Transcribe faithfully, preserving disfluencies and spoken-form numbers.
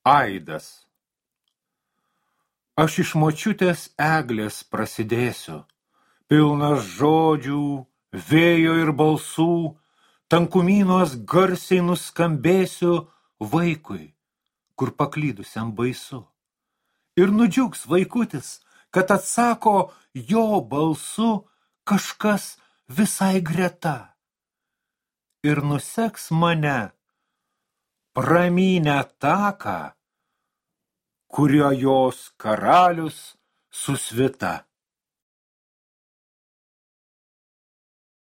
Aidas. Aš iš močiutės eglės prasidėsiu, pilnas žodžių, vėjo ir balsų, tankumynuos garsiai nuskambėsiu vaikui, kur paklydusiam baisu. Ir nudžiugs vaikutis, kad atsako jo balsu kažkas visai greta. Ir nuseks mane pramynę taką, kurio jos karalius su svita.